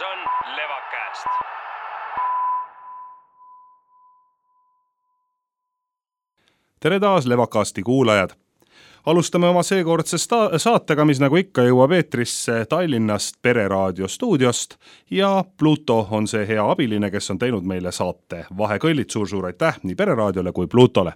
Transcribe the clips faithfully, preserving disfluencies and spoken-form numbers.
käes on Levacast. Tere taas Levacasti kuulajad! Alustame oma seekordse sta- saatega, mis nagu ikka jõuab eetrisse Tallinnast Pereraadio stuudiost ja Pluto on see hea abiline, kes on teinud meile saate vahekõllid. Suur-suur aitäh nii Pereraadiole kui Plutole.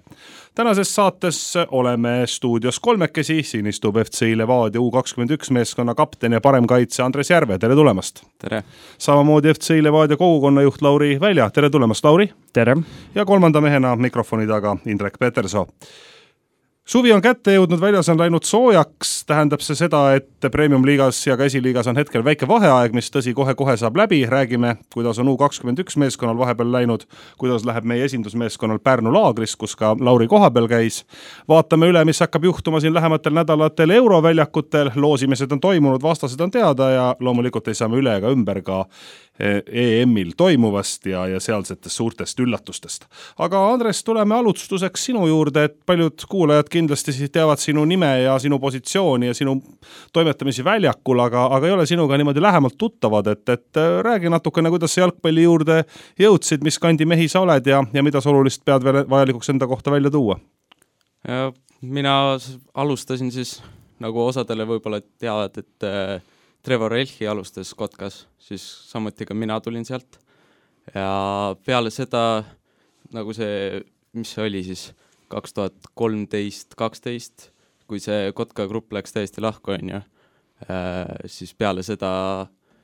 Tänases saates oleme stuudios kolmekesi, siin istub F C Levadia U kakskümmend üks meeskonna kapten ja paremkaitse Andres Järve. Tere tulemast! Tere! Samamoodi F C Levadia kogukonnajuht Lauri Välja. Tere tulemast, Lauri! Tere! Ja kolmanda mehena mikrofoni taga Indrek Petersoo. Suvi on kätte jõudnud, väljas on läinud soojaks, tähendab see seda, et Premium-liigas ja ka esiliigas on hetkel väike vaheaeg, mis tõsi kohe-kohe saab läbi. Räägime, kuidas on U kakskümmend üks meeskonnal vahepeal läinud, kuidas läheb meie esindusmeeskonnal Pärnu laagris, kus ka Lauri kohapeal käis. Vaatame üle, mis hakkab juhtuma siin lähematel nädalatel euroväljakutel. Loosimised on toimunud, vastased on teada ja loomulikult ei saame üle ega ümber ka E M-il toimuvast ja, ja sealsetest suurtest üllatustest. Aga Andres, tuleme alustuseks sinu juurde, et paljud kuulajad kindlasti teavad sinu nime ja sinu positsiooni ja sinu toimetamisi väljakul, aga, aga ei ole sinuga niimoodi lähemalt tuttavad, et, et räägi natukene, kuidas sa jalgpalli juurde jõudsid, mis kandi mehi sa oled ja, ja mida sa olulist pead veel vajalikuks enda kohta välja tuua? Ja mina alustasin siis, nagu osadele võib-olla teavad, et Trevor Elchi alustas Kotkas, siis samuti ka mina tulin sealt ja peale seda, nagu see, mis see oli siis kaks tuhat kolmteist kaksteist, kui see Kotka grupp läks täiesti lahku, on ju, siis peale seda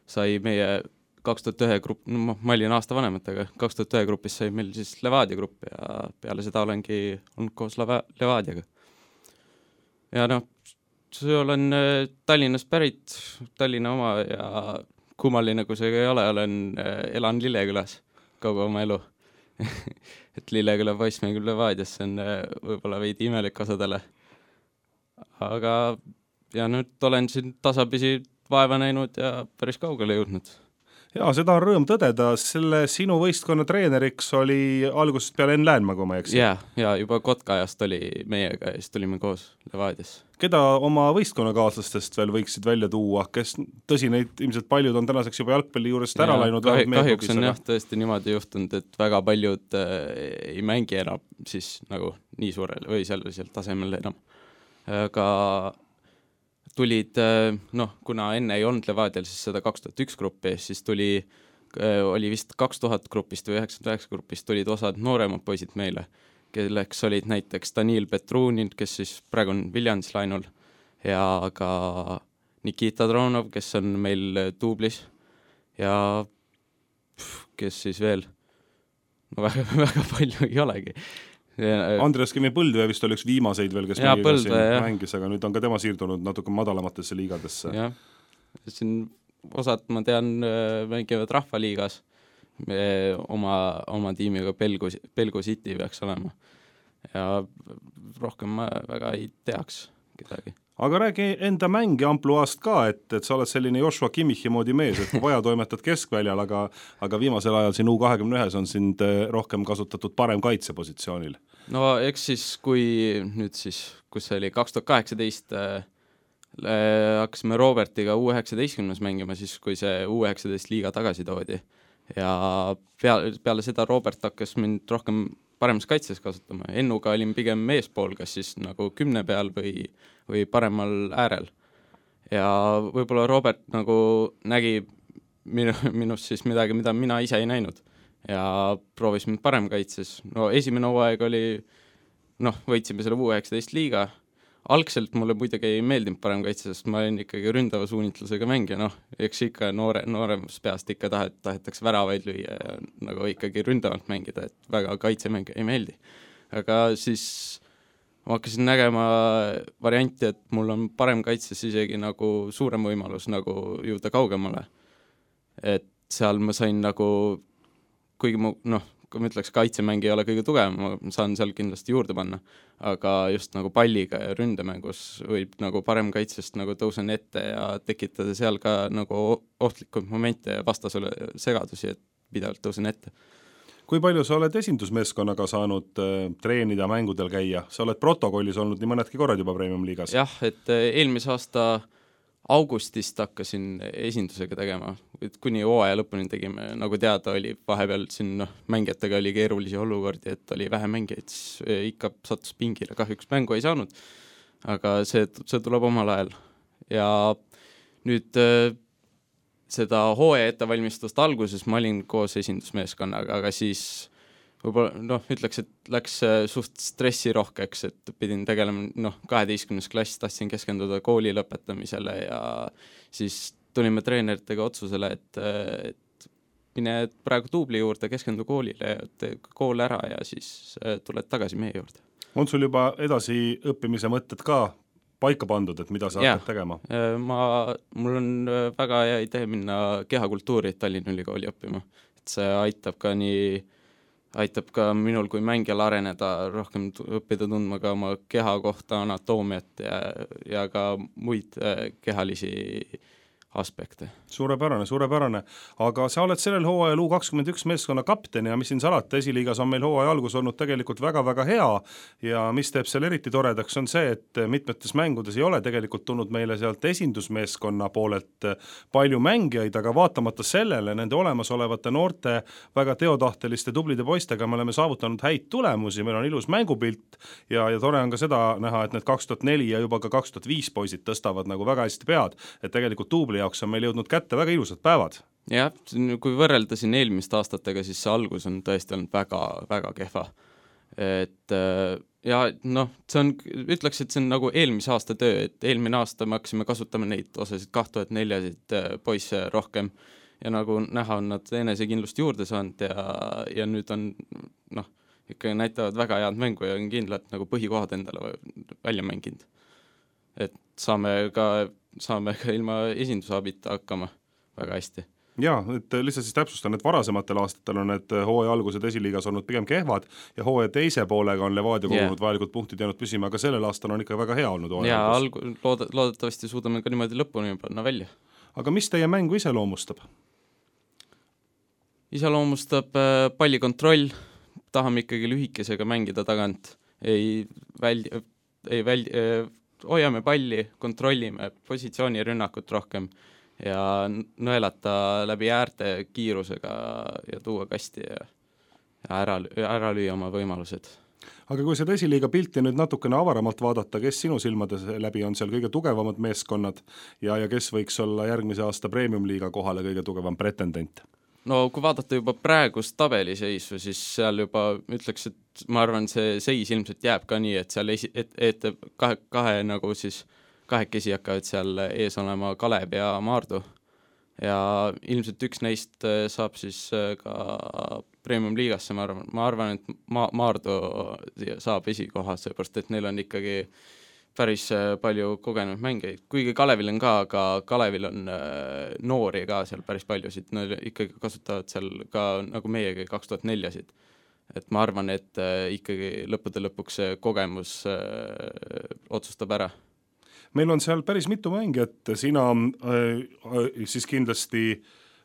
sai meie kaks tuhat ühe grupp, no ma olin aasta vanematega, kaks tuhat ühe grupis sai meil siis Levadia grupp ja peale seda olengi olnud koos Leva- Levadiaga. Ja noh, see olen Tallinnast pärit, Tallinna oma ja kummaline, kui see ei ole, olen, elan Lillekülas kogu oma elu. Et Lilleküla poiss mängib Levadias, see on võib-olla veidi imelik osadele. Aga ja nüüd olen siin tasapisi vaeva näinud ja päris kaugele jõudnud. Ja seda on rõõm tõdeda, selle sinu võistkonna treeneriks oli algusest peale Enn Läänmaa, kui ma ei eksi. Ja, ja juba Kotka ajast oli meiega ja siis tulime koos Levadias. Keda oma võistkonnakaaslastest veel võiksid välja tuua, kes tõsi, neid ilmselt paljud on tänaseks juba jalgpalli juurest ära läinud? Kah, kahjuks on jah tõesti niimoodi juhtunud, et väga paljud äh, ei mängi enam siis nagu nii suurel või sellisel tasemel enam. Aga tulid, noh, kuna enne ei olnud Levadial siis seda kaks tuhat üks gruppi, siis tuli, oli vist kaks tuhat grupist või üheksakümmend üheksa grupist tulid osad nooremad poisid meile, kelleks olid näiteks Daniil Petrunin, kes siis praegu on Viljandis lainul, ja ka Nikita Dronov, kes on meil Tuublis, ja pff, kes siis veel, no väga, väga palju ei olegi. Andres Kemi Põldvee vist oli üks viimaseid veel, kes ja, meiega siin mängis, aga nüüd on ka tema siirdunud natuke madalamatesse liigadesse. Jah, siin osad, ma tean, mängivad Rahvaliigas me oma, oma tiimiga Pelgu, Pelgu City peaks olema. Ja rohkem ma väga ei teaks kedagi. Aga räägi enda mängi ampluaast ka, et, et sa oled selline Joshua Kimmichi moodi mees, et kui vaja toimetad keskväljal, aga, aga viimasel ajal siin U kakskümmend üks on sind rohkem kasutatud parem kaitsepositsioonil. No eks siis, kui nüüd siis, kus see oli kaks tuhat kaheksateist äh, hakkasime Robertiga U üheksateistkümnes mängima, siis kui see U üheksateist liiga tagasi toodi. Ja peale, peale seda Robert hakkas mind rohkem paremas kaitses kasutama. Ennuga olin pigem meespool, kas siis nagu kümne peal või, või paremal äärel. Ja võib-olla Robert nagu nägi minu, minust siis midagi, mida mina ise ei näinud. Ja proovis mind parem kaitses. No esimene hooaeg oli, noh, võitsime selle U üheksateist liiga. Algselt mulle muidugi ei meeldinud parem kaitse, sest ma olin ikkagi ründava suunitlusega mängija, noh, eks ikka noore, nooremas peast ikka tahet, tahetakse väravaid lüüa ja nagu ikkagi ründavalt mängida, et väga kaitsemäng ei meeldi. Aga siis ma hakkasin nägema varianti, et mul on parem kaitses isegi nagu suurem võimalus nagu jõuda kaugemale. Et seal ma sain nagu, kuigi mu, noh, kui ma ütleks, kaitsemäng ei ole kõige tugevam, ma saan seal kindlasti juurde panna, aga just nagu palliga ja ründemängus võib nagu parem kaitsest nagu tõusen ette ja tekitada seal ka nagu ohtlikud momente ja vastasele segadusi, et pidevalt tõusen ette. Kui palju sa oled esindusmeeskonnaga saanud äh, treenida, mängudel käia? Sa oled protokollis olnud nii mõnedki korrad juba Premium-liigas. Jah, et eelmise aasta augustist hakkasin esindusega tegema, et kuni hooaja lõpuni tegime, nagu teada oli, vahepeal siin noh, mängijatega oli keerulisi olukordi, et oli vähe mängijaid, siis ikka sattus pingile, kahjuks mängu ei saanud, aga see, see tuleb omal ajal. Ja nüüd seda hooaja ettevalmistust alguses ma olin koos esindusmeeskonnaga, aga siis võib-olla, noh, ütleks, et läks suht stressirohkeks, et pidin tegelema, noh, kaheteistkümnes klass, tahtsin keskenduda kooli lõpetamisele ja siis tulime treeneritega otsusele, et, et mine praegu tuubli juurde, keskendu koolile ja tee kool ära ja siis tuled tagasi meie juurde. On sul juba edasi õppimise mõtted ka paika pandud, et mida sa hakkad tegema? Ma, mul on väga hea idee minna kehakultuuri Tallinna Ülikooli õppima, et see aitab ka nii aitab ka minul kui mängijal areneda, rohkem õppida tundma ka oma keha kohta, anatoomiat ja, ja ka muid kehalisi aspekte. Suurepärane, suurepärane. Aga sa oled sellel hooajal U kakskümmend üks meeskonna kapten ja mis siin salata, esiliigas on meil hooaja algus olnud tegelikult väga-väga hea ja mis teeb seal eriti toredaks on see, et mitmetes mängudes ei ole tegelikult tulnud meile sealt esindusmeeskonna poolelt palju mängijaid, aga vaatamata sellele nende olemasolevate noorte väga teotahteliste tublide poistega me oleme saavutanud häid tulemusi, meil on ilus mängupilt ja, ja tore on ka seda näha, et need kaks tuhat neli ja juba ka kaks tuhat viis poisid tõstavad nagu väga hästi pead, et tegelikult tuubli jaoks on meil jõudnud kätte väga ilusad päevad. Jah, kui võrrelda siin eelmist aastatega, siis see algus on tõesti olnud väga, väga kehva. Et ja noh, see on, ütleks, et see on nagu eelmise aasta töö, et eelmine aasta me hakkasime kasutama neid osasid kaks tuhat neljasid poisse rohkem ja nagu näha on nad enesekindlust juurde saanud ja, ja nüüd on noh, ikka näitavad väga head mängu ja on kindlalt nagu põhikohad endale välja mänginud. Et saame ka saame ka ilma esindusabita hakkama väga hästi. Jaa, et lihtsalt siis täpsustan, et varasematel aastatel on need hooaja algused esiliigas olnud pigem kehvad ja hooaja teise poolega on Levadia kogunud yeah. vajalikud punktid jäänud püsima, aga sellel aastal on ikka väga hea olnud hooaja ja, algus. Ja lood- loodetavasti suudame ka niimoodi lõpuni panna välja. Aga mis teie mängu iseloomustab? Iseloomustab pallikontroll, tahame ikkagi lühikesega mängida tagant, ei väldi, ei väldi, hoiame palli, kontrollime positsiooni rünnakut rohkem ja nõelata läbi äärte kiirusega ja tuua kasti ja, ja ära, ära lüüa oma võimalused. Aga kui seda esiliiga pilti nüüd natukene avaramalt vaadata, kes sinu silmades läbi on seal kõige tugevamad meeskonnad ja, ja kes võiks olla järgmise aasta Premium-liiga kohale kõige tugevam pretendent? No kui vaadata juba praegust tabeliseisu, siis seal juba ütleks, et ma arvan, see seis ilmselt jääb ka nii, et seal esi, et, et kahe, kahe nagu siis kahekesi hakkavad seal ees olema Kalev ja Maardu ja ilmselt üks neist saab siis ka Premium-liigasse, ma arvan, ma arvan, et Ma- Maardu saab esikoha, seepärast, et neil on ikkagi päris palju kogenud mängeid, kuigi Kalevil on ka, aga Kalevil on äh, noori ka seal päris paljusid, nad ikkagi kasutavad seal ka nagu meiegi kaks tuhat neljasid. Et ma arvan, et äh, ikkagi lõppude lõpuks kogemus äh, otsustab ära. Meil on seal päris mitu mängijat, sina äh, siis kindlasti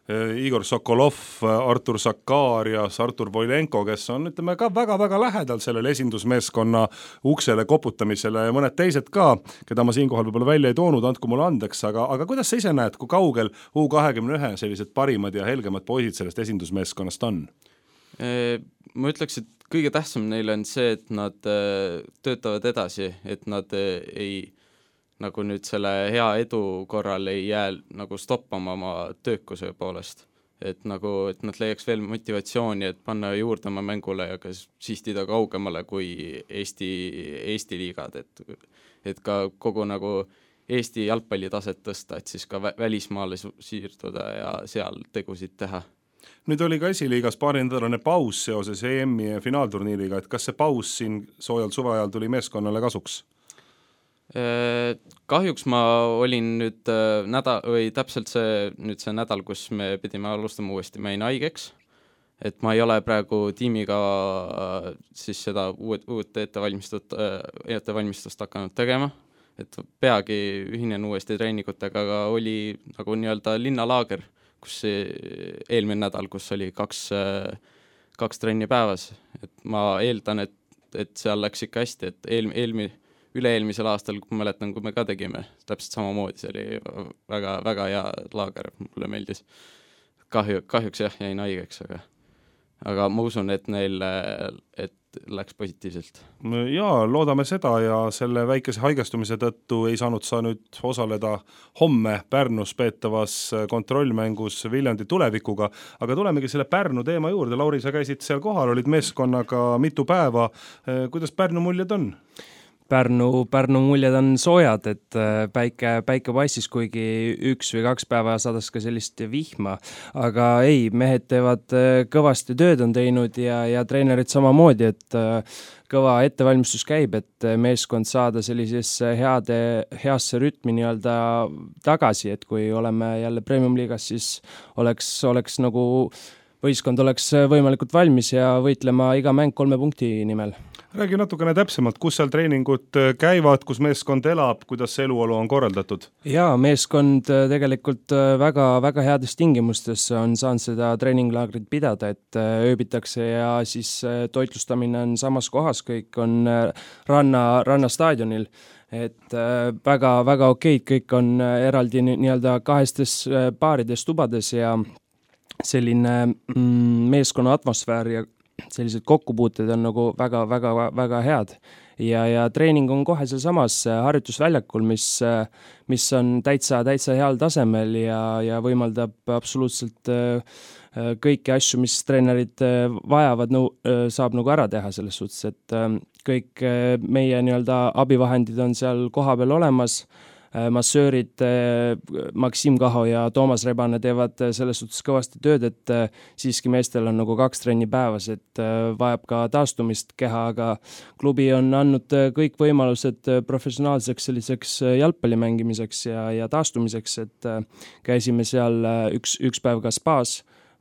Igor Sokolov, Artur Sakarias, Artur Voilenko, kes on ütleme ka väga-väga lähedal sellele esindusmeeskonna uksele koputamisele ja mõned teised ka, keda ma siinkohal võib-olla välja ei toonud, andku mulle andeks, aga, aga kuidas sa ise näed, kui kaugel U kakskümmend üks sellised parimad ja helgemad poisid sellest esindusmeeskonnast on? Ma ütleks, et kõige tähtsam neile on see, et nad töötavad edasi, et nad ei nagu nüüd selle hea edu korral ei jää nagu stoppama oma töökuse poolest. Et nagu, et nad leiaks veel motivatsiooni, et panna juurde oma mängule ja ka sihtida kaugemale kui Eesti, Eesti liigad, et, et ka kogu nagu Eesti jalgpallitaset tõsta, et siis ka välismaale siirduda ja seal tegusid teha. Nüüd oli ka esiliigas paarindalane paus seoses E M-i ja finaalturniiriga, et kas see paus siin soojal suveajal tuli meeskonnale kasuks? Kahjuks ma olin nüüd nädal, või täpselt see, nüüd see nädal, kus me pidime alustama uuesti, ma jäin haigeks, et ma ei ole praegu tiimiga siis seda uued, uut ettevalmistust, ettevalmistust hakanud tegema, et peagi ühinen uuesti treeningutega, aga oli nagu nii-öelda linnalaager, kus eelmine nädal, kus oli kaks, kaks trenni päevas, et ma eeldan, et, et seal läks ikka hästi, et eel, eelmi üle-eelmisel aastal, kui mäletan, kui me ka tegime, täpselt samamoodi, see oli väga, väga hea laager, mulle meeldis. Kahju, kahjuks jah, jäin haigeks, aga, aga ma usun, et neil et läks positiivselt. Jaa, loodame seda ja selle väikese haigestumise tõttu ei saanud sa nüüd osaleda homme Pärnus peetavas kontrollmängus Viljandi Tulevikuga, aga tulemegi selle Pärnu teema juurde. Lauri, sa käisid seal kohal, olid meeskonnaga mitu päeva. Kuidas Pärnu muljed on? Pärnu, Pärnu muljed on soojad, et päike, päike paistis, kuigi üks või kaks päeva sadas ka sellist vihma, aga ei, mehed teevad kõvasti tööd on teinud ja, ja treenerid samamoodi, et kõva ettevalmistus käib, et meeskond saada sellisesse heade, heasse rütmi nii-öelda tagasi, et kui oleme jälle Premium-liigas, siis oleks, oleks nagu võistkond oleks võimalikult valmis ja võitlema iga mäng kolme punkti nimel. Räägi natukene täpsemalt, kus seal treeningud käivad, kus meeskond elab, kuidas see eluolu on korraldatud? Jaa, meeskond tegelikult väga, väga heades tingimustes on saanud seda treeninglaagrit pidada, et ööbitakse ja siis toitlustamine on samas kohas, kõik on ranna, rannastaadionil. Et väga, väga okeid, kõik on eraldi nii-öelda kahestes paarides tubades ja selline mm, meeskonna atmosfäär ja sellised kokkupuuted on nagu väga, väga, väga head ja, ja treening on kohe seal samas harjutusväljakul, mis, mis on täitsa, täitsa heal tasemel ja, ja võimaldab absoluutselt kõiki asju, mis treenerid vajavad, no, saab nagu ära teha selles suhtes, et kõik meie nii-öelda abivahendid on seal koha peal olemas. Massöörid Maksim Kaho ja Toomas Rebane teevad selles suhtes kõvasti tööd, et siiski meestel on nagu kaks trenni päevas, et vajab ka taastumist keha, aga klubi on andnud kõik võimalused professionaalseks selliseks jalgpalli mängimiseks ja, ja taastumiseks, et käisime seal üks, üks päev ka spaas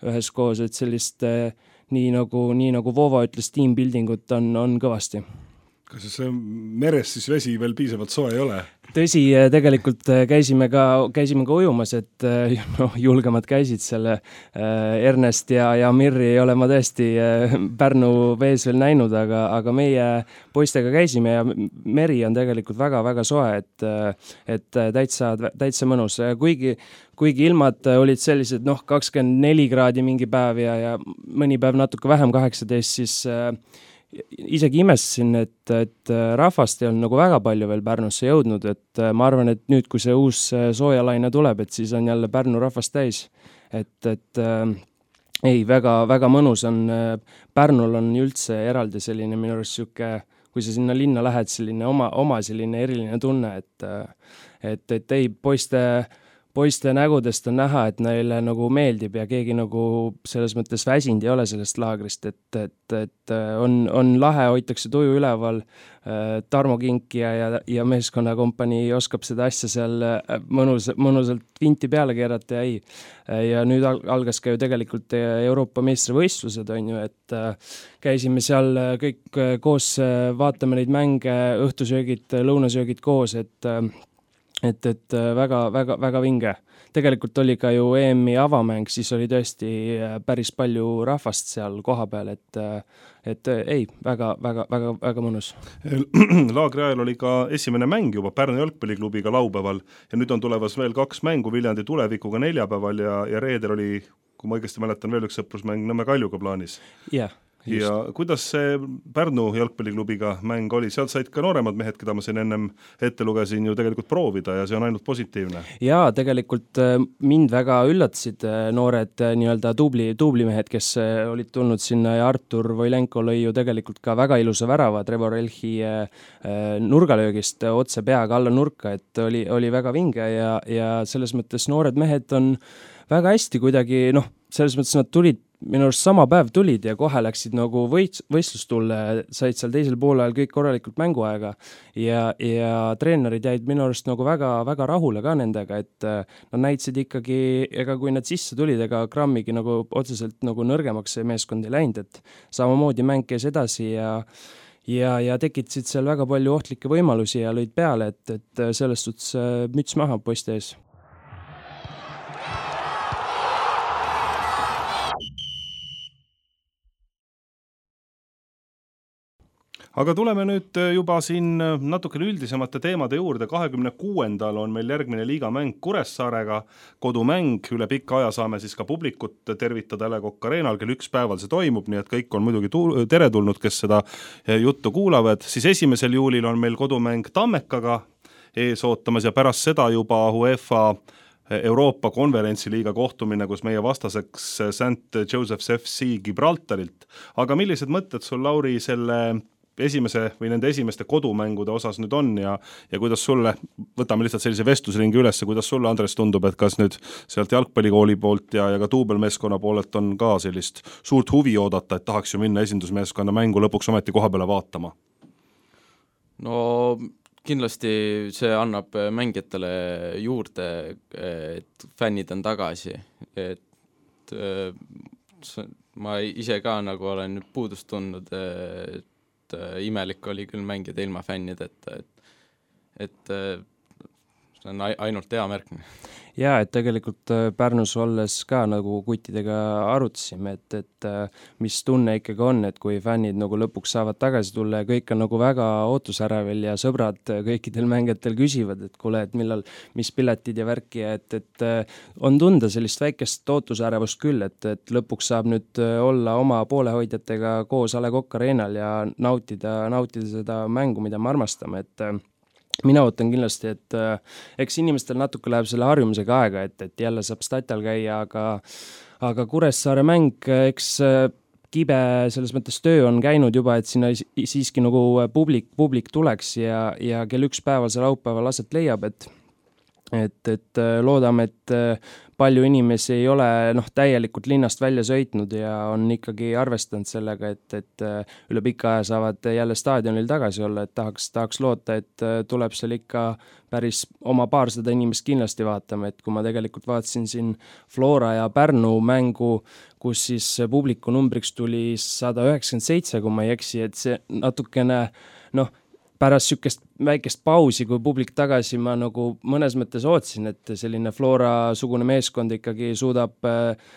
ühes koos, et sellist nii nagu, nii nagu Voova ütles, teambuildingut on, on kõvasti. Kas see meres siis vesi veel piisavalt soe ei ole? Tõsi, tegelikult käisime ka, käisime ka ujumas, et no, julgemad käisid selle Ernest ja, ja Mirri ei ole ma tõesti Pärnu vees veel näinud, aga, aga meie poistega käisime ja meri on tegelikult väga, väga soe, et, et täitsa, täitsa mõnus. Kuigi, kuigi ilmad olid sellised, noh, kakskümmend neli kraadi mingi päev ja, ja mõni päev natuke vähem kaheksateist, siis isegi imestasin, et, et rahvast ei olnud nagu väga palju veel Pärnusse jõudnud, et ma arvan, et nüüd, kui see uus soojalaine tuleb, et siis on jälle Pärnu rahvast täis. Et, et äh, ei, väga, väga mõnus on, Pärnul on üldse eraldi selline minu arust siuke, kui sa sinna linna lähed, selline oma, oma selline eriline tunne, et, et, et ei, poiste poiste nägudest on näha, et neile nagu meeldib ja keegi nagu selles mõttes väsind ei ole sellest laagrist, et, et, et on, on lahe, hoitakse tuju üleval, Tarmo Kinkija ja, ja meeskonnakompanii oskab seda asja seal mõnus, mõnusalt vinti peale keerata ja ei. Ja nüüd algas ka ju tegelikult Euroopa meistrivõistlused, on ju, et käisime seal kõik koos, vaatame neid mänge, õhtusöögid, lõunasöögid koos, et et, et väga, väga, väga vinge. Tegelikult oli ka ju E M-i avamäng, siis oli tõesti päris palju rahvast seal koha peal, et, et ei, väga, väga, väga, väga mõnus. Laagri ajal oli ka esimene mäng juba Pärnu jalgpalliklubiga laupäeval ja nüüd on tulevas veel kaks mängu Viljandi Tulevikuga neljapäeval ja, ja reedel oli, kui ma õigesti mäletan, veel üks sõprusmäng Nõmme Kaljuga plaanis. Jah. Yeah. Just. Ja kuidas see Pärnu jalgpalliklubiga mäng oli? Sealt said ka nooremad mehed, keda ma siin ennem ette lugesin, ju tegelikult proovida ja see on ainult positiivne. Jaa, tegelikult mind väga üllatasid noored nii-öelda tubli, tubli mehed, kes olid tulnud sinna ja Artur Voilenko lõi ju tegelikult ka väga ilusa värava Trevor Elchi nurgalöögist otse peaga alla nurka, et oli, oli väga vinge ja, ja selles mõttes noored mehed on väga hästi kuidagi, noh, selles mõttes nad tulid minu arust sama päev tulid ja kohe läksid nagu võit, võistlustulle, said seal teisel poolel kõik korralikult mänguaega ja, ja treenerid jäid minu arust nagu väga, väga rahule ka nendega, et nad näitasid ikkagi, ega kui nad sisse tulid, ega grammigi nagu otseselt nagu nõrgemaks see meeskond ei läinud, et samamoodi mäng käis edasi ja ja, ja tekitasid seal väga palju ohtlikke võimalusi ja lõid peale, et, et selles suhtes müts maha poiste ees. aga tuleme nüüd juba siin natukene üldisemate teemade juurde. kahekümne kuuendal on meil järgmine liigamäng Kuressaarega, kodumäng, üle pikka aja saame siis ka publikut tervitada A Le Coq Arenal, kell üks päeval see toimub, nii et kõik on muidugi tu- teretulnud, kes seda juttu kuulavad. Siis esimesel juulil on meil kodumäng Tammekaga ees ootamas ja pärast seda juba UEFA Euroopa konverentsiliiga kohtumine, kus meie vastaseks Saint Joseph's F C Gibraltarilt. Aga millised mõtted sul, Lauri, selle esimese või nende esimeste kodumängude osas nüüd on ja, ja kuidas sulle, võtame lihtsalt sellise vestlusringi üles, kuidas sulle, Andres, tundub, et kas nüüd sealt jalgpallikooli poolt ja, ja ka duubelmeeskonna poolelt on ka sellist suurt huvi oodata, et tahaks ju minna esindusmeeskonna mängu lõpuks ometi koha peale vaatama? No kindlasti see annab mängijatele juurde, et fännid on tagasi, et ma ise ka nagu olen nüüd puudust tundnud, et imelik oli küll mängida ilma fännid, et, et, et see on ainult hea märk. Jaa, et tegelikult Pärnus olles ka nagu kuttidega arutasime, et, et mis tunne ikkagi on, et kui fännid nagu lõpuks saavad tagasi tulla ja kõik on nagu väga ootusärevil ja sõbrad kõikidel mängijatel küsivad, et kuule, et millal, mis piletid ja värki, et, et on tunda sellist väikest ootusärevust küll, et, et lõpuks saab nüüd olla oma poolehoidjatega koos A Le Coq Arenal ja nautida, nautida seda mängu, mida me armastame, et mina ootan kindlasti, et äh, eks inimestel natuke läheb selle harjumisega aega, et, et jälle saab statal käia, aga, aga Kuressaare mäng, eks äh, kibe selles mõttes töö on käinud juba, et sinna siiski nagu publik, publik tuleks ja, ja kell üks päeval see laupäeval aset leiab, et et, et loodame, et palju inimesi ei ole noh, täielikult linnast välja sõitnud ja on ikkagi arvestanud sellega, et, et üle pika aja saavad jälle staadionil tagasi olla, et tahaks, tahaks loota, et tuleb seal ikka päris oma paarsada inimest kindlasti vaatama, et kui ma tegelikult vaatasin siin Flora ja Pärnu mängu, kus siis publiku numbriks tuli sada üheksakümmend seitse, kui ma ei eksi, et see natukene noh, pärast sükest väikest pausi, kui publik tagasi, ma nagu mõnes mõttes ootsin, et selline Flora-sugune meeskond ikkagi suudab,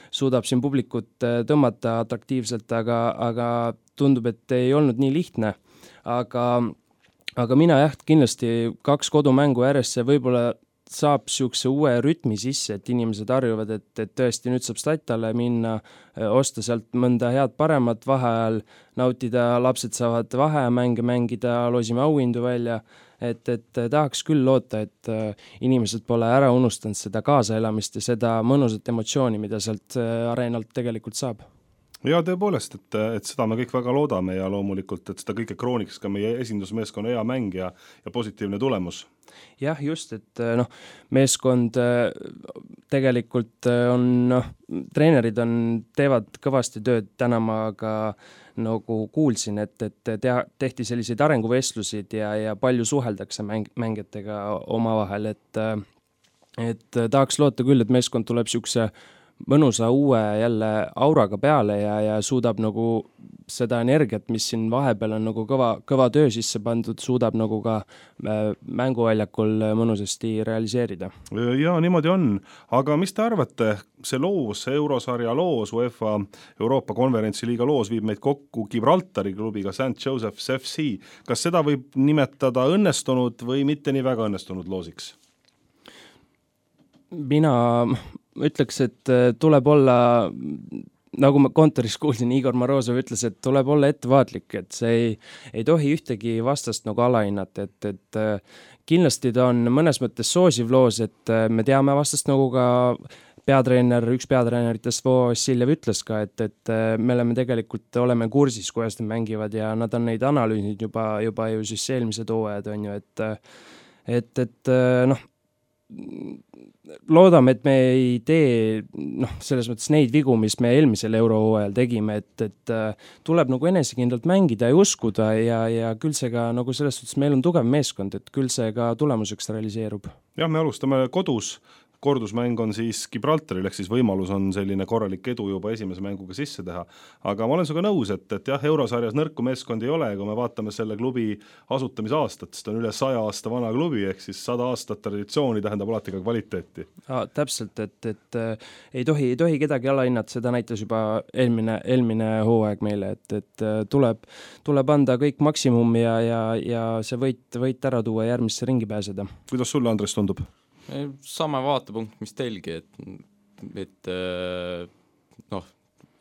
suudab siin publikut tõmmata atraktiivselt, aga, aga tundub, et ei olnud nii lihtne. Aga, aga mina jah, kindlasti kaks kodumängu järjest see võib-olla saab siukse uue rütmi sisse, et inimesed harjuvad, et, et tõesti nüüd saab statale minna, osta sealt mõnda head paremat vaheajal, nautida, lapsed saavad vaheamänge mängida, loosime auhindu välja, et, et tahaks küll loota, et inimesed pole ära unustanud seda kaasaelamist ja seda mõnusat emotsiooni, mida sealt areenalt tegelikult saab. Ja tõepoolest, et, et seda me kõik väga loodame ja loomulikult, et seda kõike krooniks ka meie esindusmeeskonna hea mäng ja, ja positiivne tulemus. Jah, just, et noh, meeskond tegelikult on, noh, treenerid on, teevad kõvasti tööd, täna ma ka nagu kuulsin, et, et tea, tehti selliseid arenguvestlusid ja, ja palju suheldakse mäng, mängijatega omavahel, et, et tahaks loota küll, et meeskond tuleb siukse mõnusa uue jälle auraga peale ja, ja suudab nagu seda energiat, mis siin vahepeal on nagu kõva, kõva töö sisse pandud, suudab nagu ka mänguväljakul mõnusasti realiseerida. Ja niimoodi on, aga mis te arvate, see loos, see Eurosarja loos, UEFA Euroopa konverentsiliiga loos viib meid kokku Gibraltari klubiga Saint Joseph's F C. Kas seda võib nimetada õnnestunud või mitte nii väga õnnestunud loosiks? Mina ütleks, et tuleb olla, nagu ma kontoris kuulsin, Igor Morozov ütles, et tuleb olla ettevaatlik, et see ei, ei tohi ühtegi vastast nagu alahinnata, et, et kindlasti ta on mõnes mõttes soosiv loos, et me teame vastast nagu ka peatreener, üks peatreeneritest Vassiljev ütles ka, et, et me oleme tegelikult, oleme kursis, kuidas nad mängivad ja nad on neid analüüsid juba, juba ju siis eelmised hooajad on ju, et, et, et noh, loodame, et me ei tee noh, selles mõttes neid vigu, mis me eelmisel eurohooajal tegime, et, et tuleb nagu enesekindlalt mängida ja uskuda ja, ja küll see ka nagu selles suhtes meil on tugev meeskond, et küll see ka tulemuseks realiseerub. Jah, me alustame kodus kordusmäng on siis Gibraltaril, ehk siis võimalus on selline korralik edu juba esimese mänguga sisse teha. Aga ma olen sinuga nõus, et, et jah, eurosarjas nõrku meeskond ei ole, kui me vaatame selle klubi asutamisaastat, sest on üle saja aasta vana klubi, ehk siis sada aastat traditsiooni tähendab alati ka kvaliteeti. Ja, täpselt, et, et äh, ei tohi, ei tohi kedagi alahinnata, seda näitas juba eelmine, eelmine hooaeg meile, et, et tuleb, tuleb anda kõik maksimum ja, ja, ja see võit, võit ära tuua järgmisse ringi pääseda. Kuidas sulle, Andres, tundub? Sama vaatepunkt, mis teilgi, et, et noh,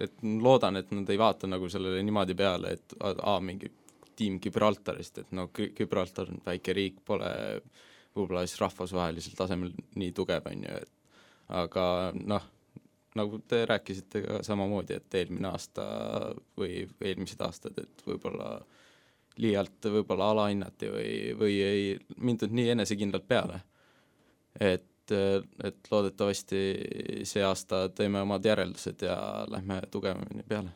et loodan, et nad ei vaata nagu sellele niimoodi peale, et a, mingi tiim Gibraltarist, et no Gibraltar on väike riik, pole võib-olla siis rahvusvahelisel tasemel nii tugev, on ju, et aga noh, nagu te rääkisite ka samamoodi, et eelmine aasta või eelmised aastad, et võib-olla liialt võib-olla alahinnati või, või ei mindud nii enesekindlalt peale. Et, et loodetavasti see aasta teeme omad järeldused ja lähme tugevamini peale.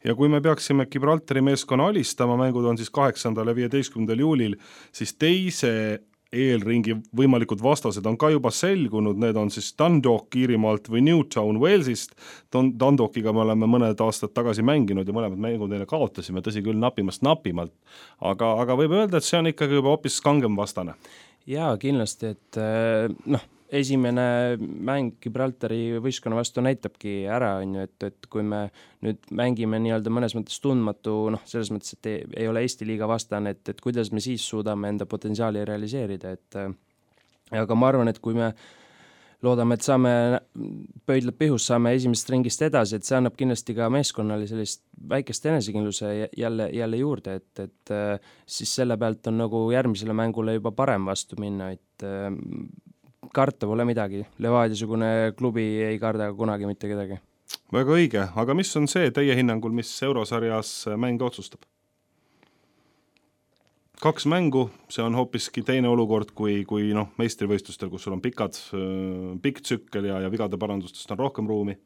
Ja kui me peaksime Gibraltari meeskonna alistama, mängud on siis kaheksandal ja viieteistkümnendal juulil, siis teise eelringi võimalikud vastased on ka juba selgunud, need on siis Dundalk Iirimaalt või Newtown Walesist. Dundalkiga me oleme mõned aastad tagasi mänginud ja mõlemad mängud neile kaotasime, tõsi küll napimast napimalt, aga, aga võib öelda, et see on ikkagi juba hoopis kangem vastane. Jaa, kindlasti, et noh, esimene mäng Gibraltari võistkonna vastu näitabki ära, on ju, et, et kui me nüüd mängime nii-öelda mõnes mõttes tundmatu, noh, selles mõttes, et ei, ei ole Eesti liiga vastane, et, et kuidas me siis suudame enda potentsiaali realiseerida, et aga ma arvan, et kui me loodame, et saame pöidlad pihus, saame esimesest ringist edasi, et see annab kindlasti ka meeskonnale sellist väikest enesekindluse jälle, jälle juurde, et, et siis selle pealt on nagu järgmisele mängule juba parem vastu minna, et karta pole midagi. Levadia-sugune klubi ei karda kunagi mitte kedagi. Väga õige, aga mis on see teie hinnangul, mis eurosarjas mänge otsustab? Kaks mängu, see on hoopiski teine olukord kui, kui noh, meistrivõistlustel, kus sul on pikad, pikk tsükkel ja, ja vigade parandustest on rohkem ruumi.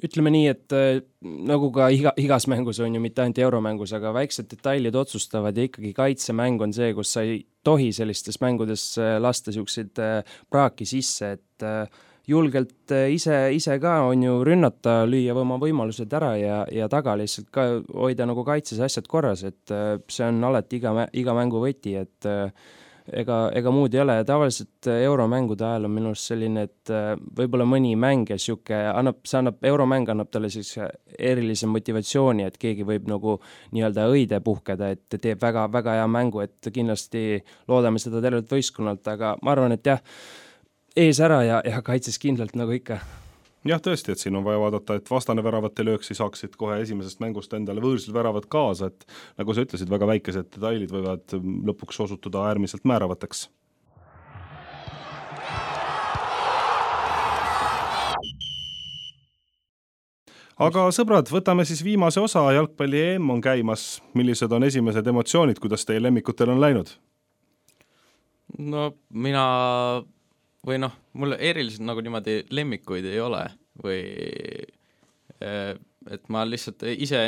Ütleme nii, et nagu ka iga, igas mängus on ju mitte ainult euromängus, aga väiksed detailid otsustavad ja ikkagi kaitsemäng on see, kus sa ei tohi sellistes mängudes lasta siukseid praaki sisse, et julgelt ise, ise ka on ju rünnata, lüüa oma võimalused ära ja, ja taga lihtsalt ka hoida nagu kaitses asjad korras, et see on alati iga, iga mängu võti, et ega, ega muud ei ole. Tavaliselt euromängude ajal on minust selline, et võib-olla mõni mäng ja siuke annab, see annab, euromäng annab talle siis erilise motivatsiooni, et keegi võib nagu nii-öelda õide puhkeda, et teeb väga, väga hea mängu, et kindlasti loodame seda tervelt võistkonnalt, aga ma arvan, et jah, ees ära ja, ja kaitses kindlalt nagu ikka. Jah, tõesti, et siin on vaja vaadata, et vastane väravate lööksi saaksid kohe esimesest mängust endale võõrsil väravad kaasa, et nagu sa ütlesid, väga väikesed detailid võivad lõpuks osutuda äärmiselt määravateks. Aga sõbrad, võtame siis viimase osa, jalgpalli E M on käimas. Millised on esimesed emotsioonid, kuidas teie lemmikutel on läinud? No mina... või noh, mul eriliselt nagu niimoodi lemmikuid ei ole või et ma lihtsalt ise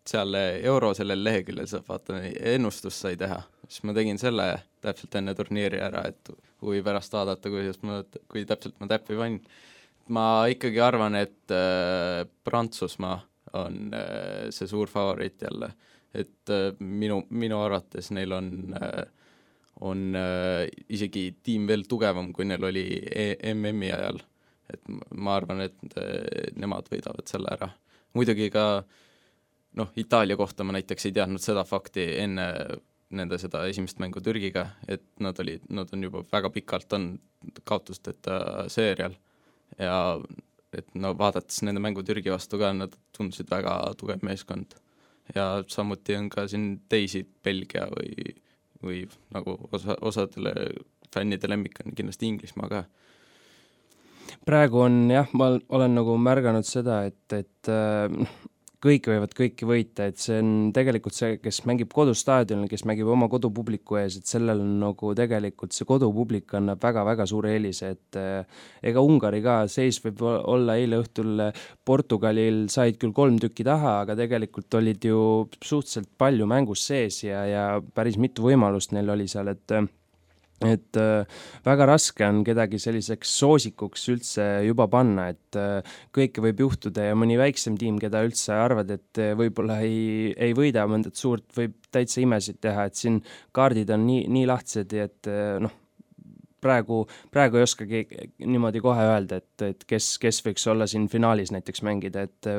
seal euro sellel leheküljel saab vaata ennustust sai teha, siis ma tegin selle täpselt enne turniiri ära, et huvi pärast vaadata, kuidas ma, kui täpselt ma täppi panin. Ma ikkagi arvan, et äh, Prantsusmaa on äh, see suur favoriit jälle, et äh, minu, minu arvates neil on äh, on äh, isegi tiim veel tugevam, kui neil oli M M-i ajal. Et ma arvan, et äh, nemad võidavad selle ära. Muidugi ka noh, Itaalia kohta ma näiteks ei teadnud seda fakti enne nende seda esimest mängu Türgiga, et nad, oli, nad on juba väga pikalt on kaotusteta seerial ja et no vaadates nende mängu Türgi vastu ka, nad tundusid väga tugev meeskond. Ja samuti on ka siin teisi Belgia või või nagu osa, osadele fännide lemmik on kindlasti Inglismaa ka. Praegu on jah, ma olen nagu märganud seda, et, et äh, kõik võivad kõiki võita, et see on tegelikult see, kes mängib kodustaadionil, kes mängib oma kodupubliku ees, et sellel on nagu tegelikult see kodupublik annab väga-väga suure eelise, et äh, ega Ungari ka seis võib olla eile õhtul Portugalil said küll kolm tükki taha, aga tegelikult olid ju suhteliselt palju mängus sees ja, ja päris mitu võimalust neil oli seal, et et äh, väga raske on kedagi selliseks soosikuks üldse juba panna, et äh, kõike võib juhtuda ja mõni väiksem tiim, keda üldse arvad, et võib-olla ei, ei võida mõndat suurt, võib täitsa imesid teha, et siin kaardid on nii, nii lahtised, et äh, noh, praegu, praegu ei oskagi niimoodi kohe öelda, et, et kes, kes võiks olla siin finaalis näiteks mängida, et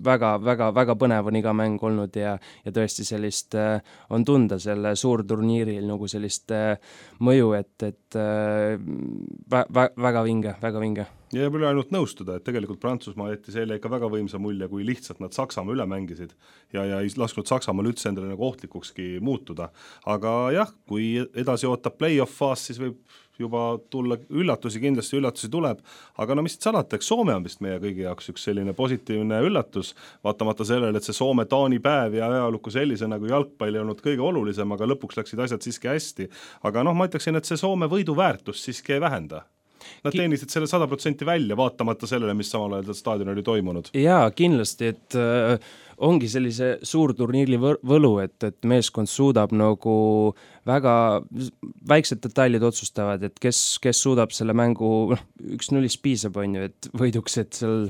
väga, väga, väga põnev on iga mäng olnud ja, ja tõesti sellist äh, on tunda selle suurturniiril nagu sellist äh, mõju, et, et äh, vä, vä, väga vinge, väga vinge. Ja jääb üle ainult nõustuda, et tegelikult Prantsusmaa jättis eile ikka väga võimsa mulje, kui lihtsalt nad Saksamaa üle mängisid ja, ja ei lasknud Saksamaal üldse endale nagu ohtlikukski muutuda. Aga jah, kui edasi ootab play-off faas, siis võib juba tulla üllatusi, kindlasti üllatusi tuleb, aga no mis salata, eks Soome on vist meie kõigi jaoks üks selline positiivne üllatus, vaatamata sellele, et see Soome-Taani päev ja ajalukku sellise nagu jalgpall ei olnud kõige olulisem, aga lõpuks läksid asjad siiski hästi. Aga noh, ma ütleksin, et see Soome võidu väärtus siiski ei vähenda. Nad teenisid selle sada protsenti välja, vaatamata sellele, mis samal ajal staadion oli toimunud. Jaa, kindlasti, et äh, ongi sellise suurturniiri võlu, et, et meeskond suudab nagu väga väiksed detailid otsustavad, et kes, kes suudab selle mängu, üks nullist piisab on ju, et võiduks, et seal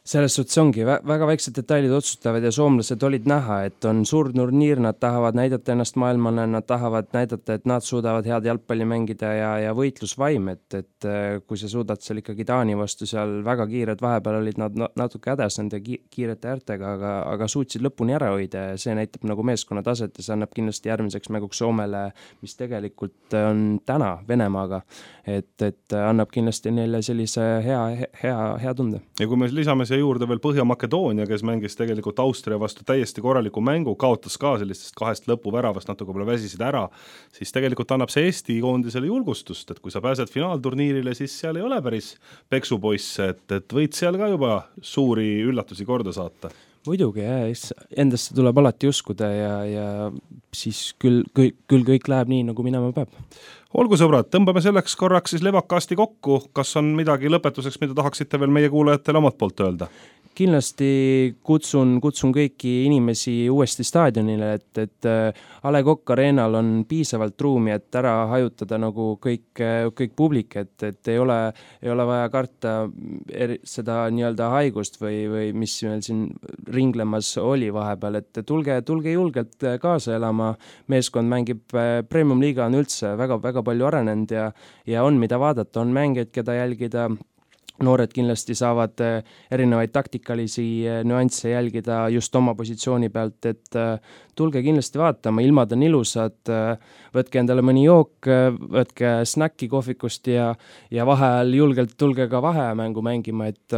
selles suhtes ongi väga väiksed detailid otsustavad ja soomlased olid näha, et on suur turniir, nad tahavad näidata ennast maailmale, nad tahavad näidata, et nad suudavad head jalgpalli mängida ja, ja võitlusvaim, et, et kui sa suudad seal ikkagi Taani vastu seal väga kiired, vahepeal olid nad natuke hädas nende kiirete äärtega, aga, aga suutsid lõpuni ära hoida ja see näitab nagu meeskonna taset ja see annab kindlasti järgmiseks mänguks Soomele, mis tegelikult on täna Venemaaga, et, et annab kindlasti neile sellise hea, hea, hea tunde. Ja kui me lisame siia juurde veel Põhja-Makedoonia, kes mängis tegelikult Austria vastu täiesti korraliku mängu, kaotas ka sellistest kahest lõpuväravast, natuke pole väsisid ära, siis tegelikult annab see Eesti koondisele julgustust, et kui sa pääsed finaalturniirile, siis seal ei ole päris peksupoisse, et, et võid seal ka juba suuri üllatusi korda saata. Muidugi, jah, endasse tuleb alati uskuda ja, ja siis küll, küll, küll kõik läheb nii, nagu minema peab. Olgu sõbrad, tõmbame selleks korraks siis levakasti kokku, kas on midagi lõpetuseks, mida tahaksite veel meie kuulajatele omalt poolt öelda? Kindlasti kutsun, kutsun kõiki inimesi uuesti staadionile, et, et A Le Coq Arenal on piisavalt ruumi, et ära hajutada nagu kõik, kõik publik, et, et ei ole, ei ole vaja karta eri, seda nii-öelda haigust või, või mis meil siin ringlemas oli vahepeal, et tulge, tulge julgelt kaasa elama, meeskond mängib, Premium Liiga on üldse väga, väga palju arenenud ja, ja on mida vaadata, on mängijaid, keda jälgida, noored kindlasti saavad erinevaid taktikalisi nüansse jälgida just oma positsiooni pealt, et tulge kindlasti vaatama, ilmad on ilusad, võtke endale mõni jook, võtke snäkki kohvikust ja, ja vaheajal julgelt tulge ka vaheamängu mängima, et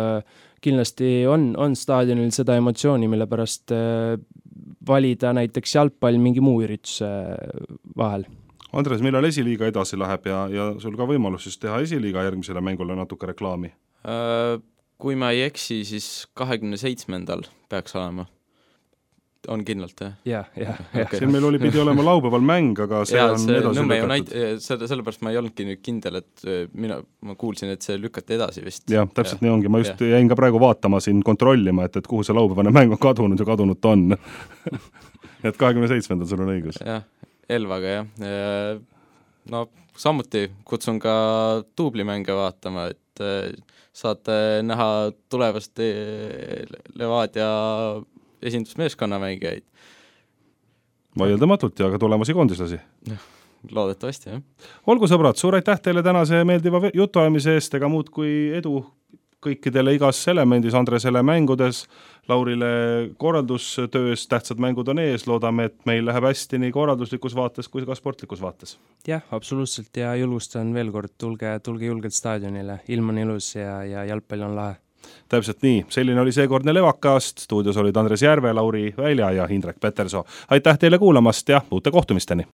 kindlasti on, on staadionil seda emotsiooni, mille pärast valida näiteks jalgpall mingi muu ürituse vahel. Andres, millal esiliiga edasi läheb ja, ja sul ka võimalus siis teha esiliiga järgmisele mängule natuke reklaami? Kui ma ei eksi, siis kahekümne seitsmendal peaks olema. On kindlalt, jah? Jah, jah. Okay. Siin meil oli pidi olema laupäeval mäng, aga see ja, on see edasi lükatud. Näit, selle, sellepärast ma ei olnudki nüüd kindel, et mina, ma kuulsin, et see lükati edasi vist. Jah, täpselt ja. Nii ongi. Ma just ja. jäin ka praegu vaatama siin kontrollima, et, et kuhu see laupäevane mäng on kadunud ja kadunud ta on. et kahekümne seitsmendal sul on õigus. Jah, Elvaga, jah. No samuti kutsun ka duublimänge vaatama, et saate näha tulevast Levadia esindusmeeskonna mängijaid. Vaieldamatult ja ka tulemusi koondislasi. Loodetavasti, jah. Olgu sõbrad, suur aitäh teile tänase meeldiva jutuajamise eest, ega muud kui edu kõikidele igas elemendis, Andresele mängudes, Laurile korraldustöös, tähtsad mängud on ees, loodame, et meil läheb hästi nii korralduslikus vaates kui ka sportlikus vaates. Jah, absoluutselt ja julgustan veel kord, tulge, tulge julgelt staadionile, ilm on ilus ja, ja jalgpall on lahe. Täpselt nii, selline oli seekordne Levakast, stuudios olid Andres Järve, Lauri Välja ja Indrek Petersoo. Aitäh teile kuulamast ja uute kohtumisteni!